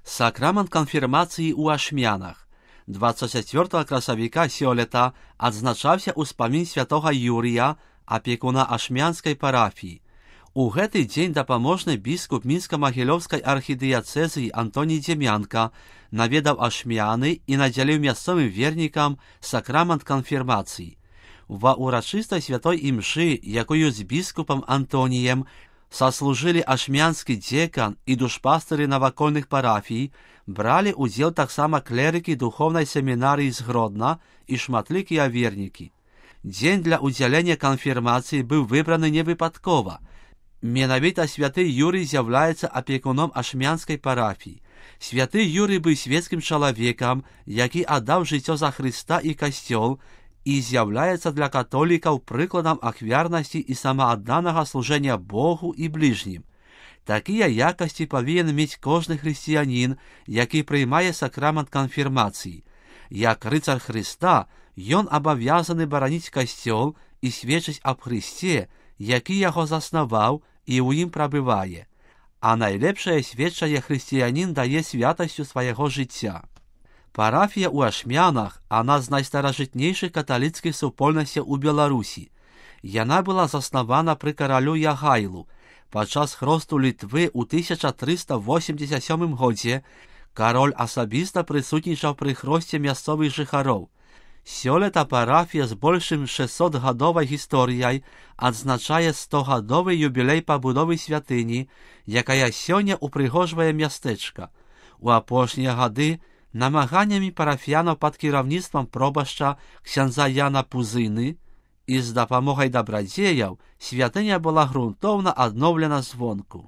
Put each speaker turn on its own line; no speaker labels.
Сакрамент канфірмацыі ў Ашмянах. 24 красавіка сёлета адзначаўся ўспамін святога Юрія, апекуна ашмянскай парафіі. У гэты дзень дапаможны біскуп мінска-магілёўскай архідыяцэзіі Антоній Дземянка наведаў ашмяны і надзяліў мясцовым вернікам сакрамент канфірмацыі. Ва ўрачыстай святой імшы, якую з біскупам Антоніем саслужылі ашмянскі дзекан і душпастыры навакольных парафій, бралі ўдзел таксама клерыкі духоўнай семінарыі з Гродна і шматлікія вернікі. Дзень для ўдзялення канфірмацыі быў выбраны невыпадкова. Менавіта святы Юрый з'яўляецца апекуном ашмянскай парафіі. Святы Юрый быў свецкім чалавекам, які аддаў жыццё за Хрыста і касцёл, і з'яўляецца для католікаў прыкладам ахвярнасці і самаадданага служэння Богу і бліжнім. Такія якасці павінен мець кожны хрысціянін, які прыймае сакрамент канфірмацыі. Як рыцар Хрыста, ён абавязаны бараніць касцёл і сведчыць аб Хрысце, які яго заснаваў і ў ім прабывае. А найлепшае сведчанне хрысціянін дае святасцю свайго жыцця. Парафія ў Ашмянах – адна з найстаражытнейшых каталіцкіх супольнасцяў у Беларусі. Яна была заснавана пры каралю Ягайлу. Падчас хросту Літвы ў 1387 годзе кароль асабіста прысутнічаў пры хросце мясцовых жыхароў. Сёлета парафія з большым 600-гадовай гісторыяй адзначае 100-гадовы юбілей пабудовы святыні, якая сёння упрыгожвае мястэчка. У апошнія гады намаганнямі парафіянаў пад кіраўніцтвам пробашча ксяндза Яна Пузыны і з дапамогай дабрадзеяў святыня была грунтоўна адноўлена звонку.